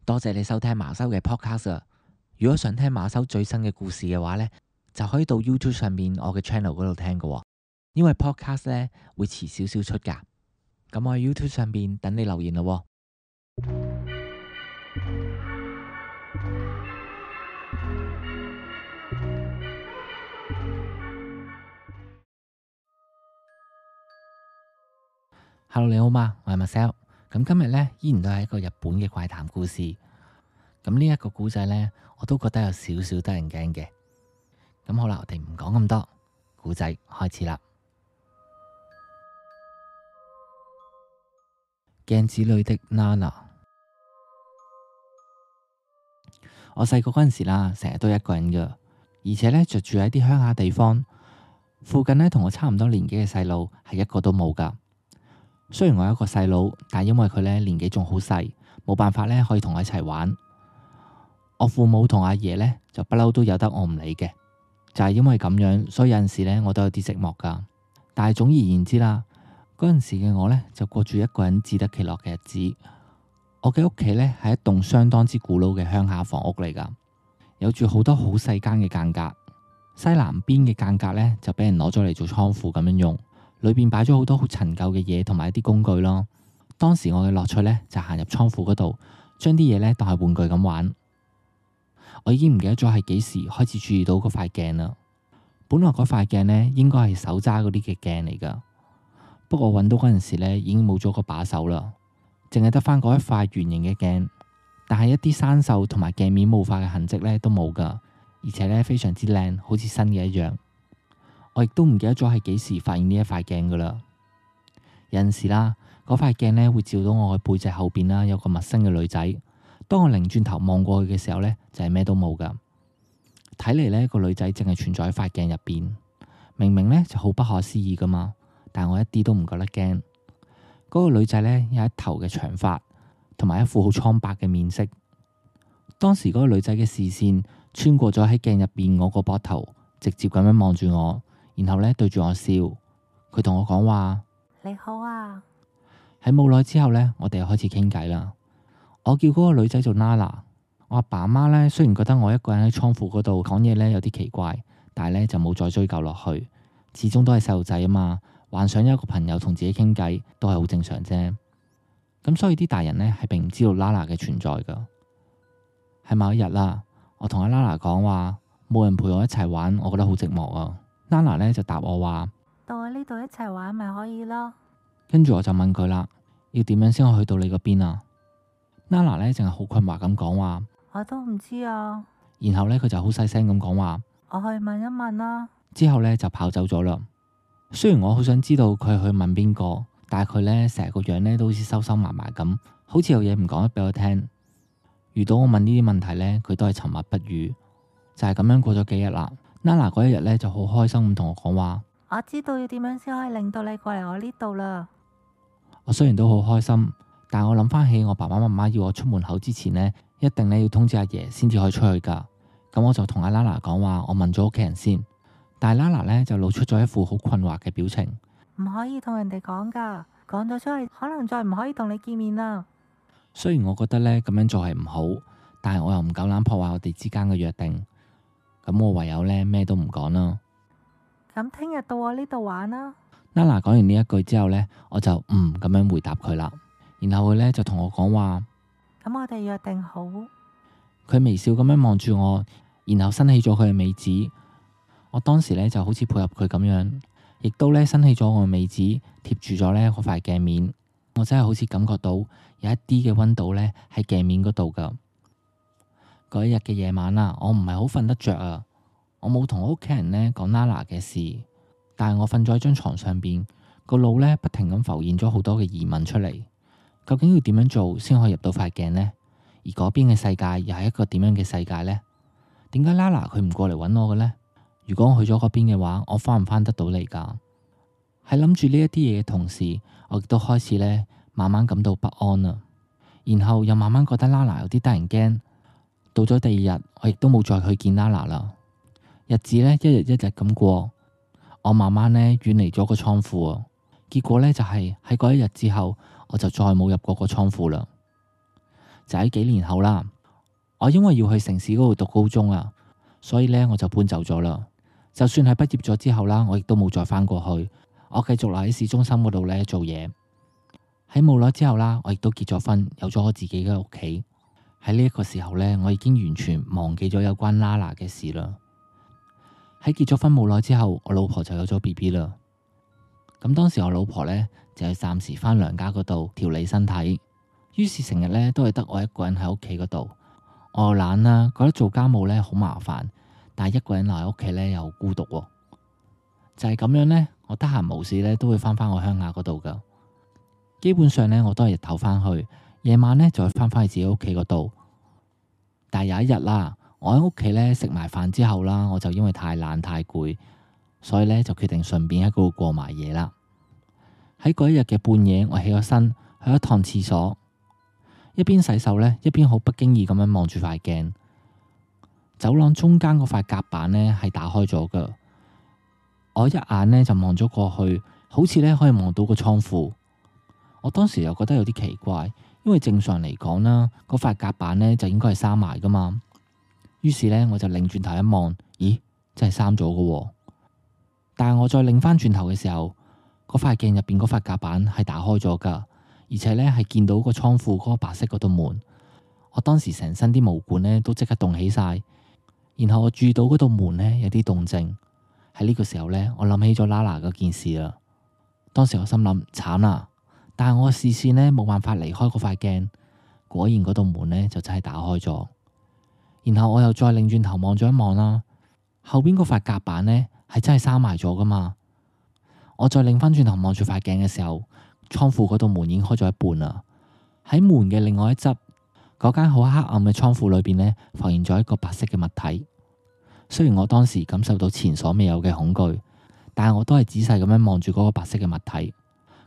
多謝你收聽馬修嘅 podcast 啊！如果想聽馬修最新嘅故事嘅話呢，就可以到 YouTube 上面我嘅 channel 嗰度聽㗎喎。因為 podcast 呢會遲少少出㗎。咁我喺 YouTube 上面等你留言咯喎。Hello， 你好嗎？我係 Marcel。咁今日呢，依然都係一個日本嘅怪談故事。咁呢一個故仔呢，我都覺得有少少得人驚嘅。咁好啦，我哋唔講咁多，故仔開始啦。鏡子裏的 Nana。我細個嗰陣時啦，成日都一個人噶，而且呢，就住喺啲鄉下地方，附近呢，同我差唔多年紀嘅細路係一個都冇噶。雖然我有一個細佬，但因為佢呢年紀仲好細，冇辦法呢可以同我一齊玩。我父母同阿爺呢就不嬲都有得我唔理嘅，就係因為咁樣，所以有陣時呢我都有啲寂寞噶。但係總而言之啦，嗰陣時嘅我呢就過住一個人自得其樂嘅日子。我嘅屋企呢係一棟相當之古老嘅鄉下房屋嚟噶，有住好多好細間嘅間隔。西南邊嘅間隔呢就俾人攞咗嚟做倉庫咁樣用。裏邊擺咗好多好陳舊嘅嘢同埋一啲工具咯。當時我嘅樂趣呢，就行入倉庫嗰度，將啲嘢呢當係玩具咁玩。我已經唔記得咗係幾時開始注意到嗰塊鏡啦。本來嗰塊鏡呢應該係手揸嗰啲嘅鏡嚟噶，不過我揾到嗰陣時呢已經冇咗個把手啦，淨係得翻嗰一塊圓形嘅鏡，但係一啲生鏽同埋鏡面霧化嘅痕跡呢都冇噶，而且呢非常之靚，好似新嘅一樣。我亦都唔記得咗係幾時發現呢一塊鏡噶啦。有陣時啦，嗰塊鏡呢會照到我嘅背脊後邊啦，有個陌生嘅女仔。當我擰轉頭望過去嘅時候呢，就係咩都冇噶。睇嚟呢個女仔淨係存在喺塊鏡入邊。明明呢就好不可思議噶嘛，但我一啲都唔覺得驚。嗰個女仔呢有一頭嘅長髮，同埋一副好蒼白嘅面色。當時嗰個女仔嘅視線穿過咗喺鏡入邊我個膊頭，直接咁樣望住我。然後呢對住我笑，佢同我講話：你好啊。喺冇耐之後呢，我哋又開始傾偈啦。我叫嗰個女仔做 Nana。我阿爸阿媽呢，雖然覺得我一個人喺倉庫嗰度講嘢呢有啲奇怪，但係呢就冇再追究落去。始終都係細路仔啊嘛，幻想有一個朋友同自己傾偈都係好正常啫。咁所以啲大人呢係並唔知道 Nana 嘅存在噶。喺某一日啦，我同阿 Nana 講話冇人陪我一齊玩，我覺得好寂寞啊。Nana 呢就答我話：到我呢度一齊玩咪可以咯。跟住我就問佢啦，要點樣先可以去到你嗰邊啊？ Nana 呢淨係好困惑咁講話，我都唔知啊。然後呢，佢就好細聲咁講話，我去問一問啦。之後呢，就跑走咗啦。雖然我好想知道佢去問邊個，但係佢呢成個樣呢都好似收收埋埋咁，好似有嘢唔講得俾我聽。遇到我問呢啲問題呢，佢都係沉默不語。就係咁樣過咗幾日啦。Nana 嗰一日呢就好開心咁同我講話，我知道要點樣先可以令到你過嚟我呢度啦。我雖然都好開心，但我諗翻起我爸爸媽媽要我出門口之前呢，一定呢要通知阿爺先至可以出去噶。咁我就同阿 Nana 講話，我問咗屋企人先。但係 Nana 呢就露出咗一副好困惑嘅表情。唔可以同人哋講噶，講咗出去可能再唔可以同你見面啦。雖然我覺得呢咁樣做係唔好，但係我又唔夠膽破壞我哋之間嘅約定。咁我唯有呢咩都唔講啦。咁聽日到我呢度玩啦。Nana 講完呢一句之後呢，我就咁樣回答佢啦。然後佢呢就同我講話，咁我哋約定好。佢微笑咁樣望住我，然後伸起咗佢嘅尾指。我當時呢就好似配合佢咁樣，亦都呢伸起咗我嘅尾指貼住咗呢嗰塊鏡面。我真係好似感覺到有一啲嘅溫度呢喺鏡面嗰度噶。嗰一日嘅夜晚啊，我唔係好瞓得着啊。我冇同我屋企人呢講 Nana 嘅事，但係我瞓咗喺張床上邊，個腦呢不停咁浮現咗好多嘅疑問出嚟。究竟要點樣做先可以入到塊鏡呢？而嗰邊嘅世界又係一個點樣嘅世界呢？點解 Nana 佢唔過嚟揾我嘅呢？如果我去咗嗰邊嘅話，我翻唔翻得到嚟噶？喺諗住呢一啲嘢嘅同時，我亦都開始呢慢慢感到不安啦。然後又慢慢覺得 Nana 有啲得人驚。到咗第二日，我亦都冇再去見 Nana 啦。日子呢，一日一日咁過，我慢慢呢遠離咗個倉庫啊。結果呢，就係喺嗰一日之後，我就再冇入過個倉庫啦。就喺幾年後啦。我因為要去城市嗰度讀高中啊，所以呢，我就搬走咗啦。就算係畢業咗之後啦，我亦都冇再返過去，我繼續留喺市中心嗰度呢做嘢。喺冇耐之後啦，我亦都結咗婚，有咗我自己嘅屋企。喺呢一個時候呢，我已經完全忘記咗有關 Nana 嘅事啦。喺結咗婚冇耐之後，我老婆就有咗 BB 啦。咁當時我老婆呢，就係暫時返娘家嗰度調理身體，於是成日呢都係得我一個人喺屋企嗰度。我又懶啦，覺得做家務呢好麻煩，但係一個人留喺屋企呢又好孤獨喎。就係咁樣呢，我得閒無事呢都會返我鄉下嗰度噶。基本上呢，我都係日頭返去，夜晚呢就會返去自己屋企嗰度。但係有一日啦，我喺屋企呢食埋飯之後啦，我就因為太懶太攰，所以呢就決定順便喺嗰度過埋夜啦。喺嗰一日嘅半夜，我起咗身去一趟廁所，一邊洗手呢，一邊好不經意咁樣望住塊鏡。走廊中間嗰塊夾板呢係打開咗噶，我一眼呢就望咗過去，好似呢可以望到個倉庫。我當時又覺得有啲奇怪，因為正常嚟講啦，嗰塊夾板呢就應該係閂埋噶嘛。於是呢，我就擰轉頭一望，咦，真係閂咗噶喎。但係我再擰翻轉頭嘅時候，嗰塊鏡入邊嗰塊夾板係打開咗噶，而且呢係見到個倉庫嗰個白色嗰道門。我當時成身啲毛管呢都即刻凍起晒，然後我注意到嗰道門呢有啲動靜。喺呢個時候呢，我諗起咗 Nana 嗰件事啦。當時我心諗慘啦，但係我嘅視線呢冇辦法離開嗰塊鏡，果然嗰道門呢就真係打開咗。然後我又再擰轉頭望咗一望啦，後邊嗰塊夾板呢係真係閂埋咗噶嘛。我再擰翻轉頭望住塊鏡嘅時候，倉庫嗰道門已經開咗一半啦。喺門嘅另外一側，嗰間好黑暗嘅倉庫裏邊呢，浮現咗一個白色嘅物體。雖然我當時感受到前所未有嘅恐懼，但係我都係仔細咁樣望住嗰個白色嘅物體。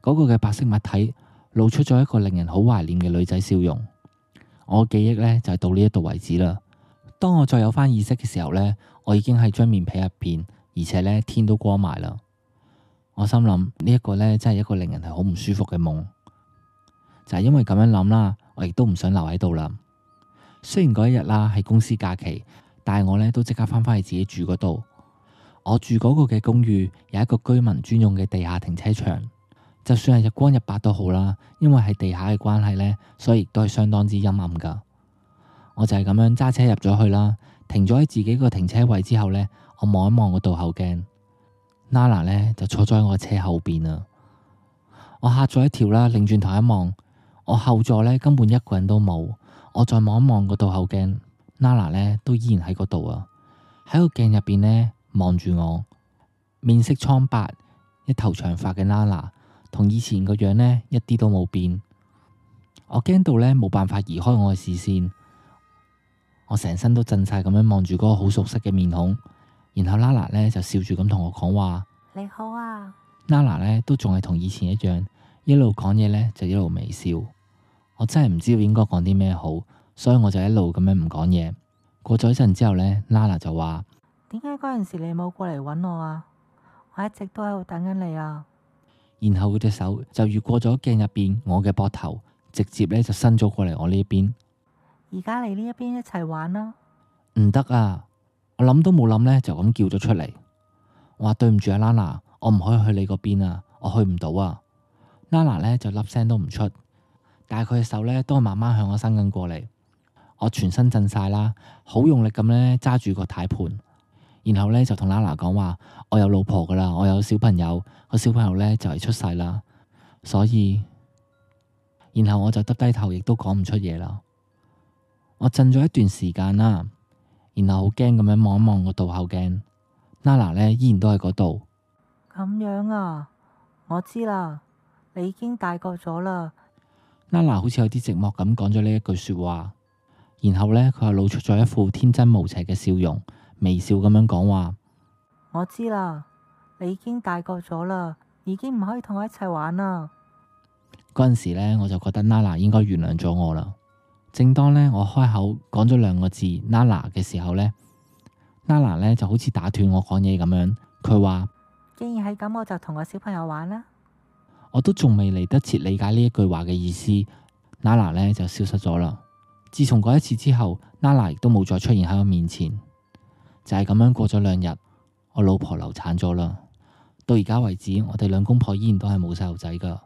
嗰個嘅白色物體露出咗一個令人好懷念嘅女仔笑容。我嘅記憶呢就係到呢一度為止啦。當我再有翻意識嘅時候呢，我已經喺張棉被入邊，而且呢天都光埋啦。我心諗呢一個呢真係一個令人係好唔舒服嘅夢。就係因為咁樣諗啦，我亦都唔想留喺度啦。雖然嗰一日啦係公司假期，但係我呢都即刻翻返去自己住嗰度。我住嗰個嘅公寓有一個居民專用嘅地下停車場，就算係日光日白都好啦，因為係地下嘅關係呢，所以亦都係相當之陰暗噶。我就係咁樣揸車入咗去啦，停咗喺自己個停車位之後呢，我望一望個倒後鏡，Nana 呢就坐咗喺我車後邊啊。我嚇咗一跳啦，擰轉頭一望，我後座呢根本一個人都冇。我再望一望個倒後鏡，Nana 呢都依然喺嗰度啊，喺個鏡入邊呢望住我，面色蒼白，一頭長髮嘅 Nana，同以前個樣呢一啲都冇變。我驚到呢冇辦法移開我嘅視線，我成身都震晒咁樣望住嗰個好熟悉嘅面孔。然後 Nana 呢就笑住咁同我講話：你好啊。Nana 呢都仲係同以前一樣，一路講嘢呢就一路微笑。我真係唔知道應該講啲咩好，所以我就一路咁樣唔講嘢。過咗一陣之後呢， Nana 就話：點解嗰陣時你冇過嚟揾我啊？我一直都喺度等緊你啊。然後佢隻手就越過咗鏡入邊我嘅膊頭，直接呢就伸咗過嚟我呢邊。而家嚟呢一邊一齊玩啦。唔得啊！我諗都冇諗呢，就咁叫咗出嚟。我話對唔住啊 Nana， 我唔可以去你嗰邊啊，我去唔到啊。Nana 呢就粒聲都唔出，但係佢嘅手呢都係慢慢向我伸緊過嚟。我全身震晒啦，好用力咁呢揸住個軚盤，然後呢就同 Nana 講話：我有老婆噶啦，我有小朋友，個小朋友呢就嚟出世啦，所以，然後我就耷低頭，亦都講唔出嘢啦。我震咗一段時間啦，然後好驚咁樣望一望個倒後鏡，Nana 呢依然都喺嗰度。咁樣啊，我知啦，你已經大個咗啦。Nana 好似有啲寂寞咁講咗呢一句說話，然後呢，佢又露出咗一副天真無邪嘅笑容，微笑咁樣講話：我知啦，你已經大個咗啦，已經唔可以同我一齊玩啦。嗰陣時呢，我就覺得 Nana 應該原諒咗我啦。正當呢，我開口講咗兩個字 Nana 嘅時候呢， Nana 呢就好似打斷我講嘢咁樣，佢話：既然係咁，我就同個小朋友玩啦。我都仲未嚟得切理解呢一句話嘅意思，Nana 呢就消失咗啦。自從嗰一次之後，Nala 亦都冇再出現喺我面前。就係咁樣過咗2日，我老婆流產咗啦。到而家為止，我哋兩公婆依然都係冇細路仔噶。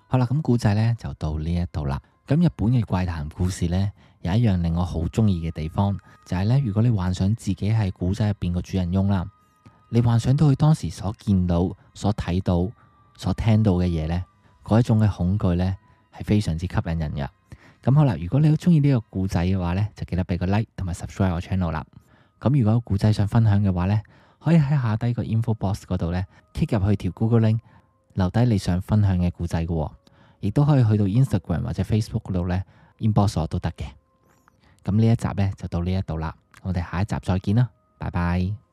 好啦，咁古仔呢就到呢一度啦。咁日本嘅怪談故事呢，有一樣令我好中意嘅地方，就係呢：如果你幻想自己係古仔入邊個主人翁啦，你幻想到佢當時所見到、所睇到、所聽到嘅嘢呢，嗰一種嘅恐懼呢，係非常之吸引人嘅。咁好啦，如果你好中意呢個故仔嘅話呢，就記得俾個 like 同埋 subscribe 我 channel 啦。咁如果有故仔想分享嘅話呢，可以喺下低個 info box 嗰度呢 click 入去條 Google link，留低你想分享嘅故仔嘅，亦都可以去到 Instagram 或者 Facebook 嗰度呢 inbox 我都得嘅。咁呢一集呢就到呢一度啦，我哋下一集再見啦，拜拜。